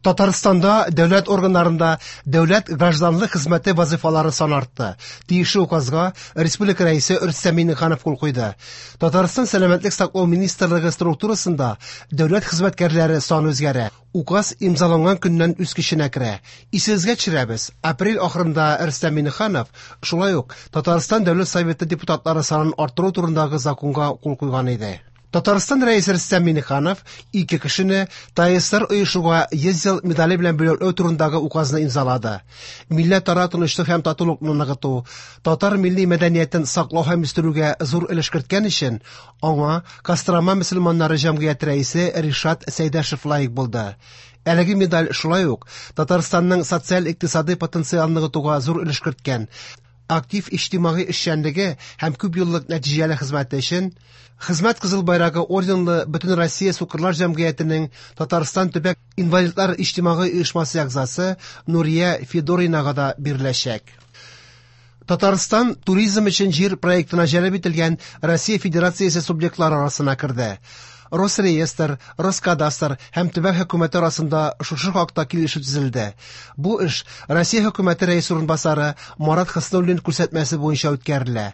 Татарстанда дәүләт органнарында дәүләт гражданлык хезмәте вазифалары саны артты. Тиешле указга республика Рәисе Рөстәм Миңнеханов кул куйды. Татарстан Сәламәтлек саклау министрлыгы структурасында дәүләт хезмәткәрләре саны үзгәрә. Указ имзаланган көннән үз көченә керә. Исегезгә төшерәбез, апрель ахырында Рөстәм Миңнеханов шулай ук Татарстан Дәүләт Советы депутатлары санын арттыру турындагы законга кул куйган иде. Татарстан Рәисе Рөстәм Миңнеханов ике кешене ТАССР оешуга 100 ел медале белән бүләкләү турындагы указны имзалады. Милләтара тынычлык һәм татулыкны ныгыту, татар милли мәдәниятен саклау һәм үстерүгә зур өлеш керткән өчен аңа Кострома мөселманнары җәмгыяте рәисе Ришат Сәйдәшев лаек булды. Әлеге медаль шулай ук Татарстанның социаль-икътисадый потенциалын ныгытуга зур өлеш керткән, актив иҗтимагый эшчәнлеге һәм күпьеллык нәтиҗәле хезмәте өчен Хезмәт Кызыл Байрагы орденлы Бөтенроссия сукырлар җәмгыятенең Татарстан төбәк инвалидлар иҗтимагый оешмасы әгъзасы Нурия Федоринага да биреләчәк. Татарстан туризм өчен җир проектына җәлеп ителгән Россия Федерациясе субъектлары арасына керде. Росреестр, Роскадастр һәм төбәк хөкүмәте арасында шушы хакта килешү төзелде. Бу эш Россия хөкүмәте рәис урынбасары Марат Хөснуллин күрсәтмәсе буенча үткәрелә.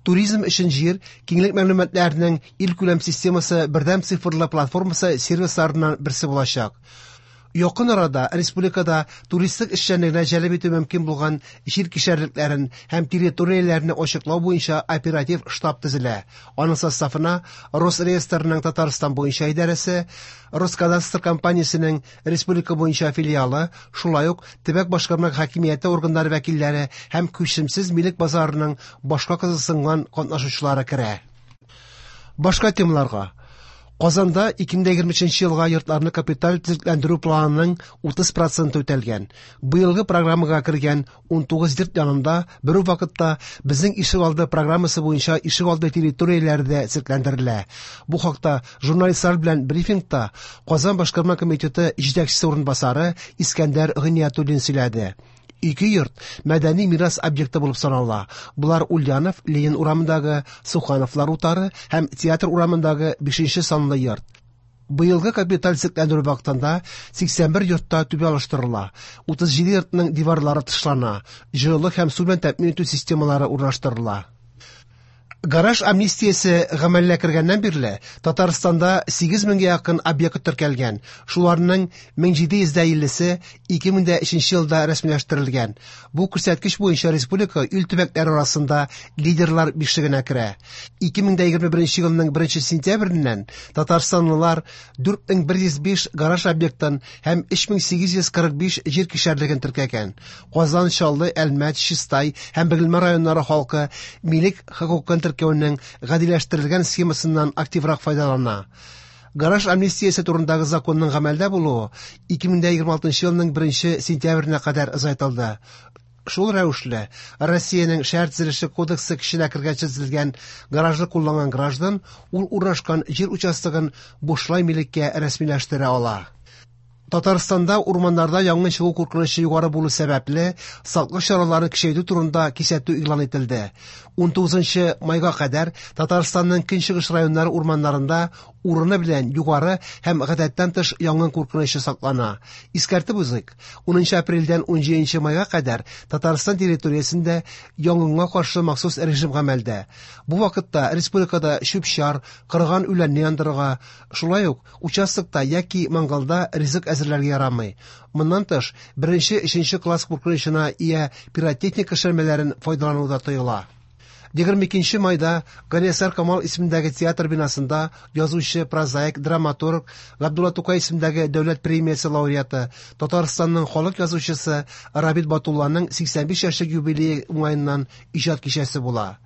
Туризм өчен җир киңлек мәгълүматларының илкүләм системасы бердәм цифрлы платформасы сервисларыннан берсе булачак. Якын арада республикада туристик эшчәнлегенә җәлеп итү мөмкин булган җир кишәрлекләрен һәм территорияләрне ачыклау буенча оператив штаб төзелә. Аның составына Росреестрның Татарстан буенча идарәсе, Роскадастр компаниясенең республика буенча филиалы, шулай ук төбәк башкарма хакимияте органнары вәкилләре һәм күчемсез милек базарының башка кызыксынган катнашучылары керә. Башка темаларга. Казанда 2023 елга йортларны капиталь төзекләндерү планының 30 проценты үтәлгән. Быелгы программага кергән 19 йорт янында бер үк вакытта Безнең ишегалды программасы буенча ишегалды территорияләре дә төзекләндерелә. Бу хакта журналистлар белән брифингта Казан башкарма комитеты җитәкчесе урынбасары Искәндәр Гыйниятуллин сөйләде. Ике йорт мәдәни мирас объекты булып санала. Болар Ульянов, Ленин урамындагы Сухановлар утары һәм Театр урамындагы 5 санлы йорт. Быелгы капиталь төзекләндерү вакытында 81 йортта түбә алыштырыла, 37 йортның диварлары тышлана, җылылык һәм су белән тәэмин итү системалары урнаштырыла. Гараж амнистиясе гамәлгә кергәннән бирле Татарстанда 8 меңгә якын объект теркәлгән. Шуларның 1750-се 2003 елда рәсмиләштерелгән. Бу күрсәткеч буенча республика ил төбәкләре арасында лидерлар бишлегенә керә. 2021 елның 1 сентябреннән татарстанлылар 4105 гараж объектын һәм 3845 җир кишәрлеген теркәгән. Казан, Чаллы, Әлмәт, Чистай һәм Бөгелмә районнары халкы милек хокукын теркәүнең гадиләштерелгән схемасыннан активрак файдалана. Гараж амнистиясе турындагы законның гамәлдә булуы 2026 елның 1 сентябренә кадәр озайтылды. Шул рәвешле, Россиянең Шәһәр төзелеше кодексы көченә кергәнче төзелгән гаражны кулланган граждан ул урнашкан җир участогын бушлай милеккә рәсмиләштерә ала. Татарстанда урманнарда янгын чыгу куркынычы югары булу сәбәпле, саклык чараларын көчәйтү турында кисәтү игълан ителде. 19 майга кадәр Татарстанның көнчыгыш районнары урманнарында урыны белән югары һәм гадәттән тыш янгын куркынычы саклана. Искәртеп узыйк, 10 апрельдән 17 майга кадәр Татарстан территориясендә янгынга каршы махсус режим гамәлдә. Бу вакытта республикада чүп-чар, корыган үләнне яндырырга, шулай ук участокта яки мангалда ризык әзерләргә ярамый. Моннан тыш, беренче, өченче класс куркынычына ия пиротехника эшләнмәләрен файдалану да тыела. 22 майда Галиәсгар Камал исемендәге театр бинасында язучы, прозаик, драматург, Габдулла Тукай исемендәге дәүләт премиясе лауреаты, Татарстанның халык язучысы Рабит Батулланың 85 яшьлек юбилее уңаеннан иҗат кичәсе була.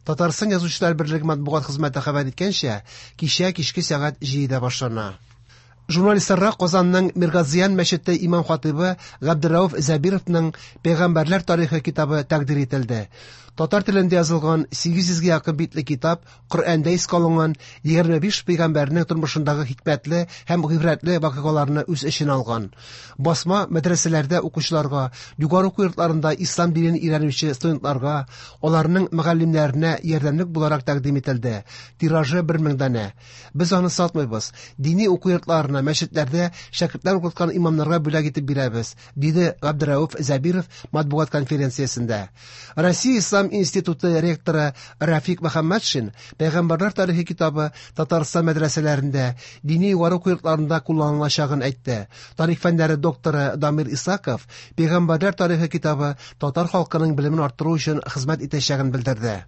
Татарстан Язучылар берлеге матбугат хезмәте хәбәр иткәнчә, кичә кичке сәгать 7-дә башлана. Журналистларга Казанның Миргазиян мәчете имам-хатыйбы Габдерәүф Зәбировның Пәйгамбәрләр тарихы китабы тәкъдир ителде. Татар телендә язылган 800 гә якын битле китап Коръәндә искә алынган 25 пәйгамбәрнең тормышындагы хикмәтле һәм гыйбрәтле вакыйгаларны үз эченә алган. Басма мәдрәсәләрдә укучыларга, югары уку йортларында ислам динен өйрәнүче студентларга, аларның мөгаллимнәренә ярдәмлек буларак тәкъдим ителде. Тиражы 1000 данә. Без аны сатмыйбыз. Дини уку йортларына, мәчетләрдә шәкертләр укыткан имамнарга бүләк итеп бирәбез, диде Габдерәүф Зәбиров матбугат конференциясендә. Россия Ислам институты ректоры Рафик Мөхәммәтшин Пәйгамбәрләр тарихы китабы Татарстан мәдрәсәләрендә, дини югары уку йортларында кулланылачагын әйтте. Тарих фәннәре докторы Дамир Исаков Пәйгамбәрләр тарихы китабы татар халкының белемен арттыру өчен хезмәт итәчәген белдерде.